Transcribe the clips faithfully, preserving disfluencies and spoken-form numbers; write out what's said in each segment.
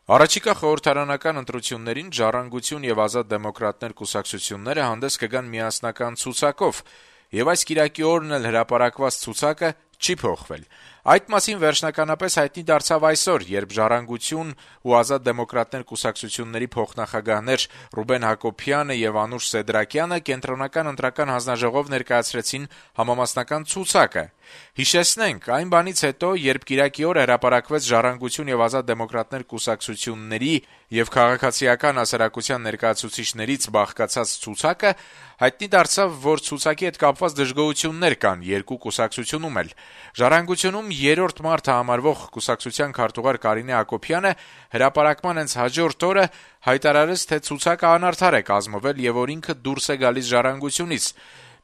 Առաջիկա խորհրդարանական ընտրություններին «Ժառանգություն» եւ «Ազատ դեմոկրատներ» կուսակցությունները հանդես կգան միասնական ցուցակով, եւ այս կիրակի օրն էլ հրապարակված ցուցակը չի փոխվել: Այդ մասին վերջնականապես հայտնի դարձավ այսօր, երբ «Ժառանգություն» ու «Ազատ դեմոկրատներ» կուսակցությունների փոխնախագահներ Ռուբեն Հակոբյանը եւ Անուշ Սեդրակյանը Կենտրոնական ընտրական հանձնաժողով ներկայացրեցին համամասնական ցուցակը: Հիշեցնենք, այն բանից հետո, երբ կիրակի օրը հրապարակվեց «Ժառանգություն» եւ «Ազատ դեմոկրատներ» կուսակցությունների եւ քաղաքացիական հասարակության ներկայացուցիչներից բաղկացած ցուցակը, հայտնի դարձավ, որ ցուցակի հետ կապված դժգոհություններ կան երկու կուսակցությունում էլ: «Ժառանգություն»-ում երրորդ մարդը համարվող կուսակցության քարտուղար Կարինե Հակոբյանը հրապարակման հենց հաջորդ օրը հայտարարեց, թե ցուցակը անարդար է կազմվել եւ որ ինքը դուրս է գալիս «Ժառանգություն»-ից: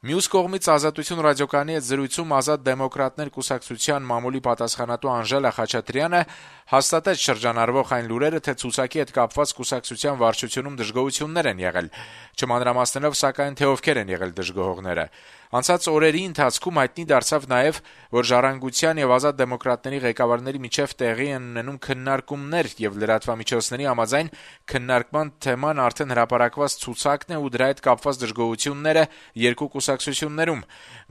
Մյուս կողմից «Ազատություն» ռադիոկայանի հետ զրույցում «Ազատ դեմոկրատներ» կուսակցության մամուլի պատասխանատու Անժելա Խաչատրյանը հաստատեց շրջանառվող այն լուրերը, թե ցուցակի հետ կապված կուսակցության վարչությունում դժգոհություններ են եղել, չմանրամասնելով սակայն, թե ովքեր են եղել դժգոհողները: Անցած օրերի ընթացքում հայտնի դարձավ նաեւ, որ «Ժառանգության» եւ «Ազատ դեմոկրատներ»-ի ղեկավարների միջեւ տեղի են ունենում քննարկումներ, եւ լրատվամիջոցների համաձայն քննարկման թեման արդեն հրապարակված ցուցակն է ու դրա հետ կապված դժգոհությունները երկու կուսակցություններում: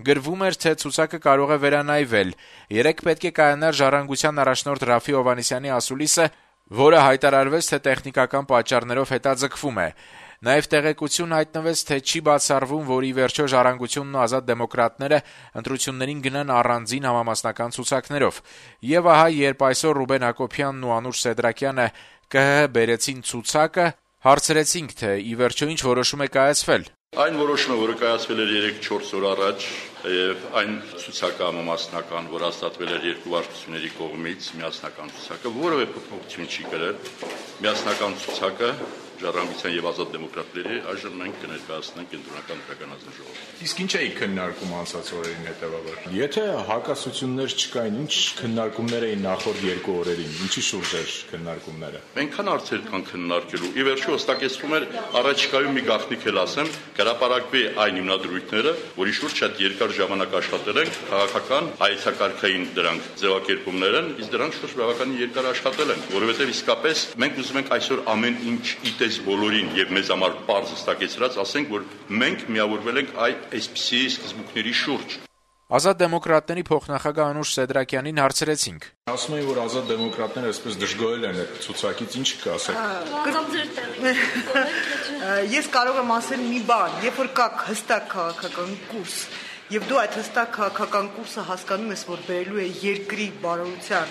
Գրվում էր, թե ցուցակը կարող է վերանայվել: Երեկ պետք է կայանար «Ժառանգության» առաջնորդ Րաֆֆի Հովհաննիսյանի ասուլիսը, որը հայտարարվեց, թե տեխնիկական պատճառներով հետաձգվում է: Նաեւ տեղեկություն հայտնվեց, թե չի բացառվում, որ ի վերջո «Ժառանգությունն» ու «Ազատ դեմոկրատները» ընտրություններին գնան առանձին համամասնական ցուցակներով: Եվ ահա, երբ այսօր Ռուբեն Հակոբյանն ու Անուշ Սեդրակյանը ԿՀՀ բերեցին ցուցակը, հարցրեցինք, թե ի վերջո ինչ որոշում է կայացվել: Այն որոշումը, որը կայացվել էր երեք-չորս օր առաջ, եւ այն ցուցակը համամասնական, որ հաստատվել էր երկու վարչությունների կողմից, միասնական ցուցակը, որևէ փոփոխություն չի կրել: Միասնական ցուցակը «Ժառանգության» եւ «Ազատ դեմոկրատների» այժմ մենք կներկայացնենք Կենտրոնական ընտրական հանձնաժողովին: Իսկ ինչ էիք քննարկում անցած օրերին հետեւաբար: Եթե հակասություններ չկային, ինչ քննարկումներ էին նախորդ երկու օրերին, ինչի շուրջ էր քննարկումները: Այնքան հարցեր կան քննարկելու: Ի վերջո հստակեցվում էր առաջիկայում մի գաղտնիք էլ ասեմ, կհրապարակվի այն հիմնադրույթները, որի շուրջ շատ երկար ժամանակ աշխատել ենք, քաղաքական, հայեցակարգային դրանք ձեւակերպումներ են, իսկ դրանք շուրջ բավականին երկար աշխատել ենք, որովհետեւ իսկապես մենք ուզում ենք այսօր ամեն ինչ իտես բոլորին եւ մեզ համար պարզ հստակեցրած ասենք, որ մենք միավորվել ենք այսպիսի սկզբունքների շուրջ: «Ազատ դեմոկրատներ»-ի փոխնախագահ Անուշ Սեդրակյանին հարցրեցինք. Ասում էին, որ «Ազատ դեմոկրատները» այսպես դժգոհել են այդ ցուցակից, ինչ կասեք: Ես կարող եմ ասել մի բան, երբ որ կա հստակ քաղաքական կուրս, եւ դու այդ հստակ քաղաքական կուրսը հասկանում ես, որ բերելու է երկրի բարօրության,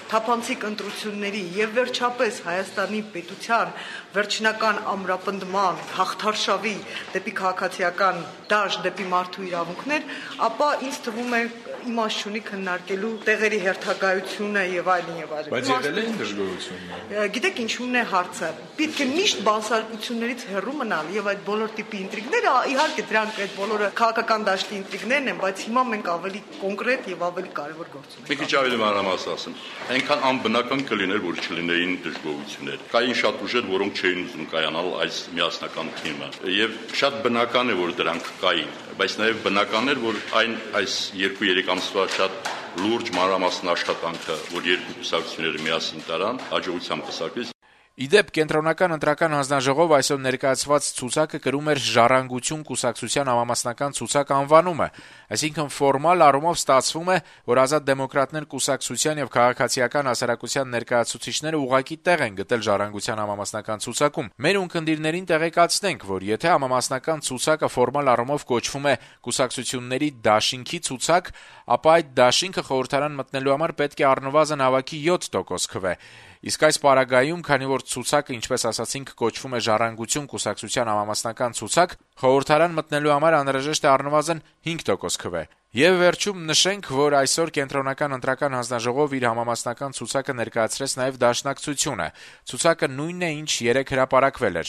թափանցիկ ընտրությունների եւ վերջապես Հայաստանի պետության վերջնական ամրապնդման, հաղթարշավի դեպի քաղաքացիական դաշտ, դեպի մարդու իրավունքներ, ապա ինձ թվում է իմաստ չունի քննարկելու տեղերի հերթագայությունը եւ այլն եւ այլն: Բայց եղել էին դժգոհություններ: Գիտեք ինչու՞մն է հարցը: Պետք է միշտ բանսարկություններից հեռու մնալ եւ այդ բոլոր տիպի ինտրիգները, իհարկե դրանք այդ բոլորը քաղաքական դաշտի ինտրիգներն են, բայց հիմա մենք ավելի կոնկրետ եւ ավելի կարեւոր գործ ունենք: Մի քիչ ավելի մանրամասն ասեմ, այնքան անբնական կլիներ, որ չլինեին դժգոհություններ: Կային շատ ուժեր, որոնք չէին ուզում կայանալ այս միասնական թիմը, եւ շատ բնական է, որ դրանք կային, բայց նաեւ բնական էր, որ այն այս երկու-երեք ամսվա շատ լուրջ մանրամասն աշխատանքը, որ երկու կուսակցությունները միասին տարան, հաջողությամբ պսակվեց: Ի դեպ, Կենտրոնական ընտրական հանձնաժողով այսօր ներկայացված ցուցակը կրում էր «Ժառանգություն» կուսակցության համամասնական ցուցակ անվանումը, այսինքն ֆորմալ առումով ստացվում է, որ «Ազատ դեմոկրատներ» կուսակցության եւ քաղաքացիական հասարակության ներկայացուցիչները ուղղակի տեղ են գտել «Ժառանգության» համամասնական ցուցակում: Մեր ունկնդիրներին տեղեկացնենք, որ եթե համամասնական ցուցակը ֆորմալ առումով կոչվում է «Կուսակցությունների դաշինքի ցուցակ», ապա այդ դաշինքը խորհրդարան մտնելու համար պետք է առնվազն հավաքի յոթ տոկոս քվե: Իսկ այս պարագայում, քանի որ ցուցակը, ինչպես ասացինք, կոչվում է «Ժառանգություն» կուսակցության համամասնական ցուցակ, խորհրդարան մտնելու համար անհրաժեշտ է առնվազն հինգ տոկոս քվե: Եվ վերջում նշենք, որ այսօր Կենտրոնական ընտրական հանձնաժողով իր համամասնական ցուցակը ներկայացրեց նաեւ Դաշնակցությունը: Ցուցակը նույնն է, ինչ երեկ հրապարակվել էր: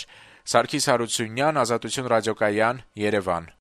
Սարգիս Հարությունյան, Ազատություն ռադիոկայան, Երևան: